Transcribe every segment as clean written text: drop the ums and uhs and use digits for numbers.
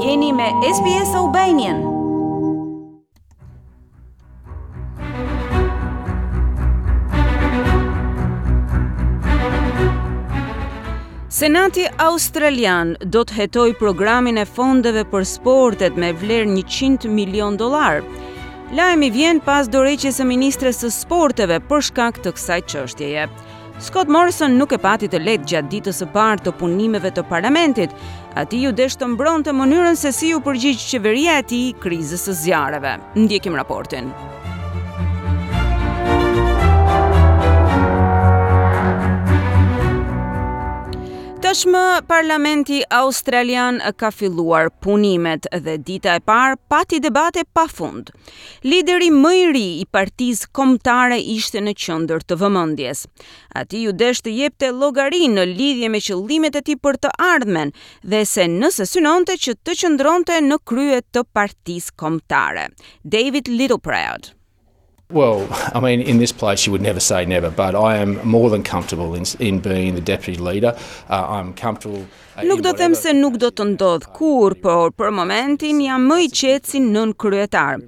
Jeni me SBS Albanian. Senati Australian do të hetojë programin e fondeve për sportet me vlerë 100 milion dollarë. Lajmi vjen pas dorëheqjes së ministres së sporteve për shkak të kësaj çështjeje. Scott Morrison nuk e pati të lehtë gjatë ditës së parë të punimeve të parlamentit. Atij iu desh të mbronte mënyrën se si iu përgjigj qeveria e tij krizës së zjarreve. Ndjekim raportin. Tashmë Parlamenti Australian ka filluar punimet dhe dita e parë pati debate pa fund. Lideri më i ri i Partisë Kombëtare ishte në qendër të vëmendjes. Atij iu desh të jepte llogari në lidhje me qëllimet e tij për të ardhmen dhe se nëse synonte që të qëndronte në krye të Partisë Kombëtare. David Littleproud. Well, I mean, in this place you would never say never, but I am more than comfortable in, in being the deputy leader. Uh, I'm comfortable uh, Nuk do të them se nuk do të ndodhë kurrë, por për momentin jam më i qetë si nënkryetar.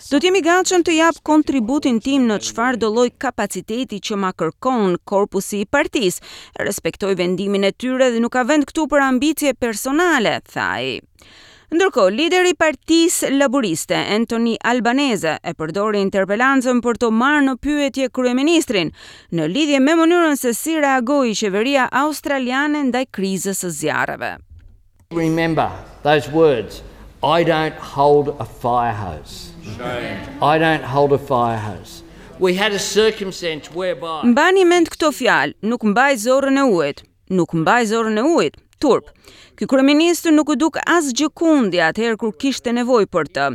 Do të jem i gatshëm të jap kontributin tim në çfarëdo lloj kapaciteti që ma kërkon korpusi i partisë. Respektoj vendimin e tyre dhe nuk ka vend këtu për ambicie personale, tha ai. Ndërkohë, lideri i Partisë Laburiste, Anthony Albanese, e përdori interpelancën për të marrë në pyetje kryeministrin, në lidhje me mënyrën se si reagoi qeveria australiane ndaj krizës së zjarreve. Remember those words, I don't hold a fire hose. I don't hold a fire hose. We had a circumstance whereby Mbani mend këto fjalë, nuk mbaj zorrën e ujit. Nuk mbaj zorrën e ujit. Turp. Ky kryeministër nuk u duk asgjëkundi atëherë kur kishte nevojë për të.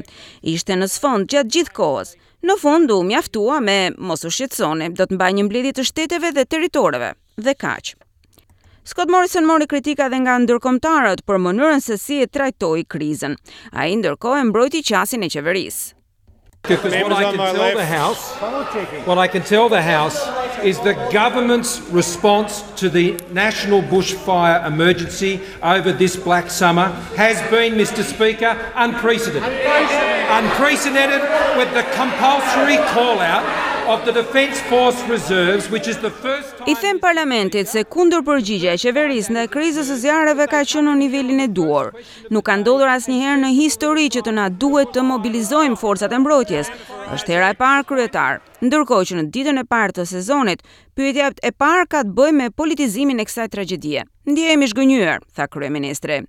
Ishte në sfond gjatë gjithë kohës. Në fund u mjaftua me mos u shqetësoni, do të mbaj një mbledhje të shteteve dhe territoreve. Dhe kaq. Scott Morrison mori kritika dhe nga ndërkombëtarët për mënyrën se si e trajtoi krizën. Ai ndërkohë e mbrojti qasjen e qeverisë. Because what I can tell the House, what I can tell the House is the government's response to the national bushfire emergency over this black summer has been, Mr Speaker, unprecedented. Unprecedented with the compulsory call out of the Defence Force Reserves, which is the first I them parlamentit se kundërpërgjigja e qeverisë ndaj krizës së zjarreve ka qenë në nivelin e duhur. Nuk ka ndodhur asnjëherë në histori që të na duhet të mobilizojmë forcat e mbrojtjes. Është hera e parë, kryetar. Ndërkohë që në ditën e parë të sezonit, pyetja e parë ka të bëjë me politizimin e kësaj tragjedie. Ndjehem i zhgënjyer, tha kryeministri.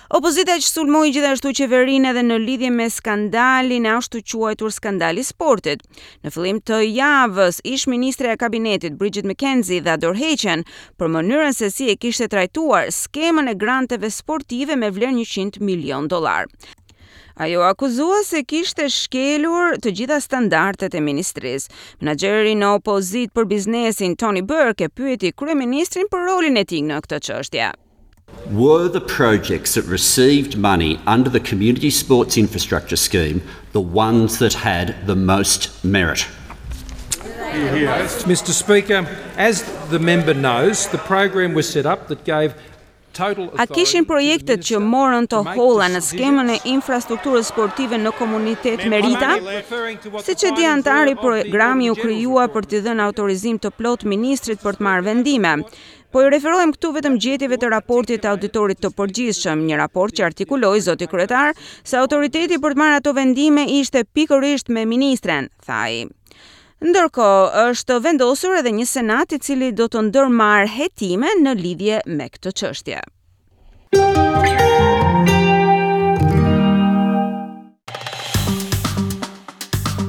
Opozita që sulmoi gjithashtu qeverinë edhe në lidhje me skandalin e ashtuquajtur skandali i sportit. Në fillim të javës, ish-ministrja e kabinetit Bridget McKenzie dha dorëheqjen për mënyrën se si e kishte trajtuar skemën e granteve sportive me vlerë 100 milion dollarë. Ajo u akuzua se kishte shkelur të gjitha standardet e ministrisë. Menaxheri në opozitë për biznesin Tony Burke e pyeti kryeministrin për rolin e tij në këtë çështje. Were the projects that received money under the Community Sports Infrastructure Scheme the ones that had the most merit? Mr Speaker, as the member knows, the program was set up that gave A kishin projektet që morën të holla në skemën e infrastrukturës sportive në komunitet merita? Siç e di anëtari, programi u krijua për t'i dhënë autorizim të plotë ministrit për të marrë vendime. Po i referohem këtu vetëm gjetjeve të raportit të Auditorit të Përgjithshëm, një raport që artikuloi, zoti kryetar, se autoriteti për të marrë ato vendime ishte pikërisht me ministren, tha ai. Ndërkohë, është vendosur edhe një senat i cili do të ndërmarrë hetime në lidhje me këtë çështje.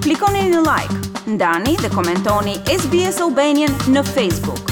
Klikoni në like, ndani dhe komentoni SBS Albanian në Facebook.